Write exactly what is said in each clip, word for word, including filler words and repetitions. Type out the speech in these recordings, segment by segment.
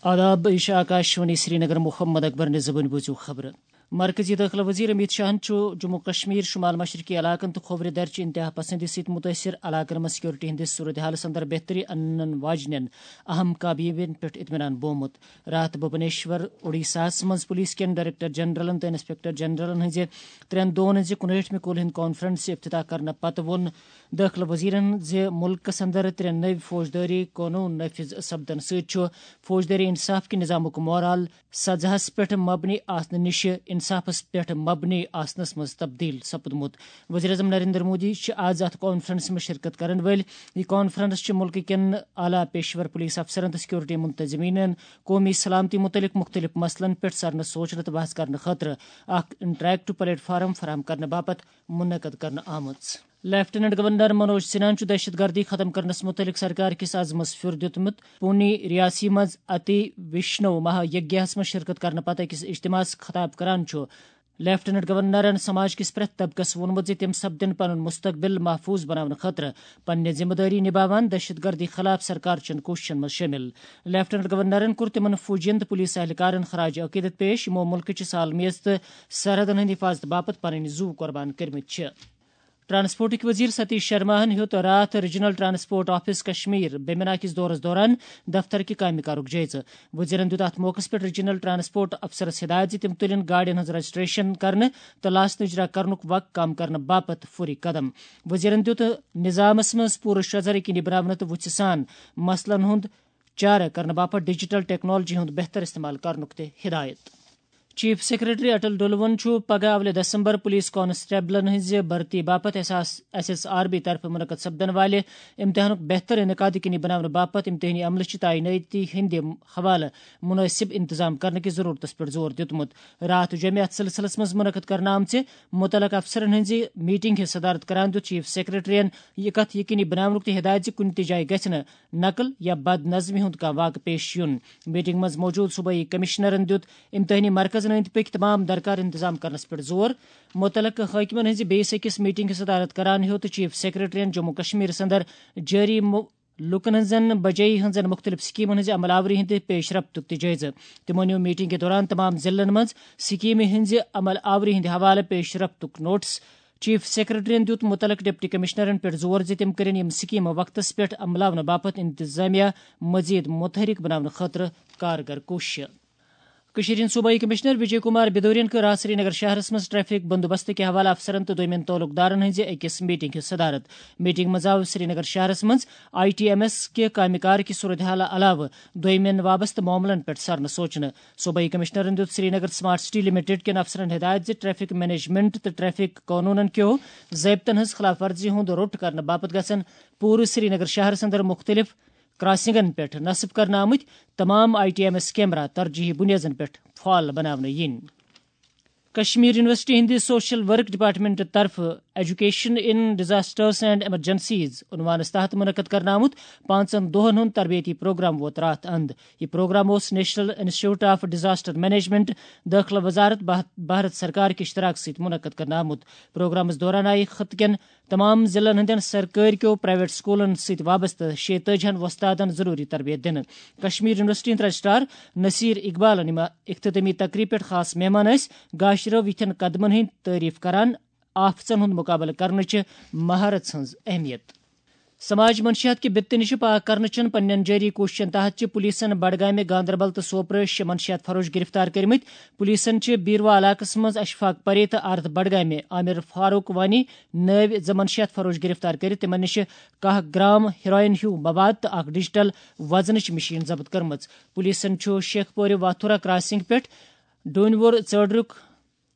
آداب، یہِ چھِ آکاشوانی سرینگر۔ محمد اکبر نِزبٕنۍ بوٗزِو خبرٕ۔ مرکزی دٲخلہٕ وزیر امیت شاہن چھُ جموں کشمیر، شمال مشرقی علاقن تہٕ کھوورِ درچہِ انتہا پسندی سۭتۍ متٲثر علاقن منٛز سیکورٹی ہٕنٛدِس صورتحالس اندر بہتری انن واجنٮ۪ن اہم کامیٲبین پٮ۪ٹھ اطمینان بومُت۔ راتھ بھوبنیشور، اوڈیشاہس منٛز پولیس کٮ۪ن ڈائریکٹر جنرلن تہٕ انسپکٹر جنرلن ہٕنٛزِ ترٛٮ۪ن دۄہن ہٕنٛزِ کُنہٲٹھمہِ کول ہٕنٛدِ کانفرنسہِ افتتاح کرنہٕ پتہٕ ووٚن دٲخلہٕ وزیرن زِ مُلکس اندر ترٛےٚ نٔوۍ فوجدٲری قونوٗن نافذ سپدن سۭتۍ چھُ فوجدٲری انصاف کہِ نظامُک مورال سزاہس پٮ۪ٹھ مبنی آسنہٕ نِش انصافس پٮ۪ٹھ مبنی آسنس منٛز تبدیل سپدمُت۔ وزیر اعظم نریندر مودی چھِ آز اتھ کانفرنسہِ منٛز شرکت کرن وٲلۍ۔ یہِ کانفرنس چھِ مُلکہٕ کٮ۪ن اعلیٰ پیشور پولیس افسرن تہٕ سیکورٹی منتظمینن قومی سلامتی متعلق مختلف مسلن پٮ۪ٹھ سرنہٕ سوچنہٕ تہٕ بحث کرنہٕ خٲطرٕ اکھ انٹریکٹو پلیٹ فارم فراہم کرنہٕ باپتھ منعقد کرنہٕ آمٕژ۔ لیفٹیننٹ گورنر منوج سنہاہن چھُ دہشت گردی ختم کرنس متعلق سرکار کِس عزمس پھیُر دیُتمُت۔ پونی ریاسی منٛز اتی وشنو مہا یگیاہس منٛز شرکت کرنہٕ پتہٕ أکِس اجتماعس خطاب کران چھُ لیفٹیننٹ گورنرن سماج کِس پرٛٮ۪تھ طبقس ووٚنمُت زِ تِم سپدن پنُن مستقبل محفوظ بناونہٕ خٲطرٕ پننہِ ذمہٕ دٲری نباوان دہشت گردی خلاف سرکار چٮ۪ن کوٗششن منٛز شٲمِل۔ لیفٹیننٹ گورنرن کوٚر تِمن فوجین تہٕ پولیس اہلکارن خراج عقیدت پیش، یِمو مُلکہٕ چہِ سالمیز تہٕ سرحدن ہٕنٛدِ حفاظتہٕ باپتھ پنٕنۍ زُو قربان کٔرمٕتۍ چھِ۔ ٹرانسپورٹٕکۍ وزیر ستیش شرماہن ہیوٚت راتھ ریجنل ٹرانسپورٹ آفس کشمیر بیمنا کِس دورس دوران دفتر کہِ کامہِ کارُک جٲیزٕ۔ وزیرن دیُت اتھ موقعس پٮ۪ٹھ ریجنل ٹرانسپورٹ افسرس ہدایت زِ تِم تُلِن گاڑٮ۪ن ہٕنٛز رجسٹریشن کرنہٕ تہٕ لاسنہٕ اجرا کرنُک وق کم کرنہٕ باپتھ فوری قدم۔ وزیرن دیُت نظامس منٛز پوٗرٕ شۄژھر یقینی بناونہٕ تہٕ وُژھِ سان مسلن ہُنٛد چارٕ کرنہٕ باپتھ ڈیجیٹل ٹیکنالوجی ہُنٛد بہتر استعمال کرنُک تہِ ہدایت۔ چیف سیکرٹری اٹل ڈولون چھُ پگہہ اولہِ دسمبر پولیس کانسٹیبلن ہٕنٛزِ بھرتی باپتھ ایس ایس آر بی طرفہٕ منعقد سپدن والہِ امتحانُک بہتر انعقاد یقینی بناونہٕ باپتھ امتحٲنی عملہٕ چہِ تعینٲتی ہٕنٛدِ حوالہٕ مناسب انتظام کرنہٕ کِس ضرورتس پٮ۪ٹھ زور دیُتمُت۔ راتھ جمعہ اتھ سلسلس منٛز منعقد کرنہٕ آمژِ متعلقہٕ افسرن ہٕنٛزِ میٹنگ ہٕنٛز صدارت کران دیُت چیف سیکرٹریَن یہِ کتھ یقینی بناونُک تہِ ہدایت زِ کُنہِ تہِ جایہِ گژھِ نہٕ نقل یا بد نظمی ہُنٛد کانٛہہ واقعہٕ پیش یُن۔ میٹنگ منٛز موجود صوبٲئی کمشنرن دیُت امتحٲنی مرکزن أنٛدۍ پٔکۍ تمام درکار انتظام کرنس پٮ۪ٹھ زور۔ متعلقہٕ حٲکمن ہٕنٛزِ بیٚیِس أکِس میٹنگہِ صدارت کران ہیوٚت چیف سیکرٹریَن جموں کشمیرس اندر جٲری مُ-، لوٗکن ہٕنٛزن بجٲیی ہٕنٛزن مختلف سکیمن ہٕنٛزِ عمل آوری ہٕنٛدِ پیش رفتُک تہِ جٲیزٕ۔ تِمو نیوٗ میٹنگہِ دوران تمام ضلعن منٛز سکیمہِ ہٕنٛزِ عمل آوری ہٕنٛدِ حوالہٕ پیش رفتُک نوٹس۔ چیف سیکرٹریَن دیُت متعلق ڈپٹی کمشنرن پٮ۪ٹھ زور زِ تِم کٔرِن یِم سکیمہٕ وقتس پٮ۪ٹھ عملاونہٕ باپتھ انتظامیہ مزید متحرک بناونہٕ خٲطرٕ کارگر کوٗششہٕ۔ کٔشیٖرِ ہٕنٛدۍ صوبٲئی کمشنر وجے کمار بدورین کٔر راتھ سرینگر شہرس منٛز ٹریفک بندوبست کہِ حوالہٕ افسرن تہٕ دویمٮ۪ن تعلق دارن ہٕنٛزِ أکِس میٹنگ ہُنٛد صدارت۔ میٹنگ منٛز آو سرینگر شہرس منٛز آئی ٹی ایم ایس کہِ کامہِ کار کہِ صورتحال علاوٕ دویمٮ۪ن وابستہٕ معاملن پٮ۪ٹھ سرنہٕ سوچنہٕ۔ صوبٲئی کمشنرن دیُت سرینگر سمارٹ سٹی لمیٹڈ کٮ۪ن افسرن ہدایت زِ ٹریفک مینجمنٹ تہٕ ٹریفک قونوٗنن کیو ضٲبطن ہٕنٛز خلاف ورزی ہُنٛد روٚٹ کرنہٕ باپتھ گژھن پوٗرٕ سرینگر شہرس اندر مختلف کراسنگن پٮ۪ٹھ نصب کرنہٕ آمٕتۍ تمام I T M S camera ترجیحی بنیادن پٮ۪ٹھ فعال بناونہٕ یِنۍ۔ کشمیر یونیورسٹی ہٕنٛدِ سوشل ورک ڈپارٹمنٹ طرفہٕ education in disasters and emergencies عنوانس تحت منعقد کرنہٕ آمُت پانٛژن دۄہن ہُنٛد تربیتی پروگرام ووت راتھ اند۔ یہِ پروگرام اوس national institute of disaster management, دٲخلہٕ وزارت، بھا-، بھارت سرکار کہِ اشتراک سۭتۍ منعقد کرنہٕ آمُت۔ پروگرامس دوران آیہِ خطہٕ کٮ۪ن تمام ضلعن ہٕنٛدٮ۪ن سرکٲرۍ کیو پرائیویٹ سکولن سۭتۍ وابستہٕ شیٚیہِ تٲجی ہن وۄستادن ضروری تربیت دِنہٕ۔ کشمیر یونیورسٹی ہٕنٛدۍ رجسٹرار نصیر اقبالن، یِم اختتٲمی تقریب پٮ۪ٹھ خاص مہمان ٲسۍ، گاشرٲو یِتھٮ۪ن قدمن ہٕنٛدۍ تعریف کران آفژن ہُنٛد مقابلہٕ کرنٕچہِ مہارت ہٕنٛز اہمیت۔ سماج منشیات کہِ بِپتہٕ نِش پاک کرنہٕ چٮ۪ن پننٮ۪ن جٲری کوٗششن تحت چھِ پولیسن بڈگامہِ، گاندربل تہٕ سوپرٕ شےٚ منشیات فروش گرفتار کٔرمٕتۍ۔ پولیسن چھِ بیروا علاقس منٛز اشفاق پرے تہٕ آرتھ بڈگامہِ عامر فاروق وانی نٲوۍ زٕ منشیات فروش گرفتار کٔرِتھ تِمن نِش کاہ گرام ہیروئن ہیو مواد تہٕ اکھ ڈیجیٹل وزنٕچ مشین ضبط کٔرمٕژ۔ پولیسن چھُ شیخ پورِ واتھورا کراسنگ پٮ۪ٹھ ڈوٗنۍ وور ژٲڈرُک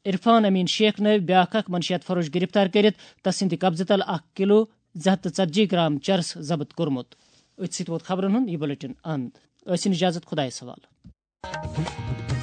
عرفان امین شیخ نٲوۍ بیاکھ اکھ منشیات فروش گرفتار کٔرِتھ تسٕنٛدِ قبضہٕ تل اکھ کلو زٕ ہتھ تہٕ ژتجی گرام چرس ضبط کوٚرمُت۔ أتھۍ سۭتۍ ووت خبرن ہُنٛد یہِ بلیٹن اند۔ ٲسِن اجازت، خۄدایس حوالہٕ۔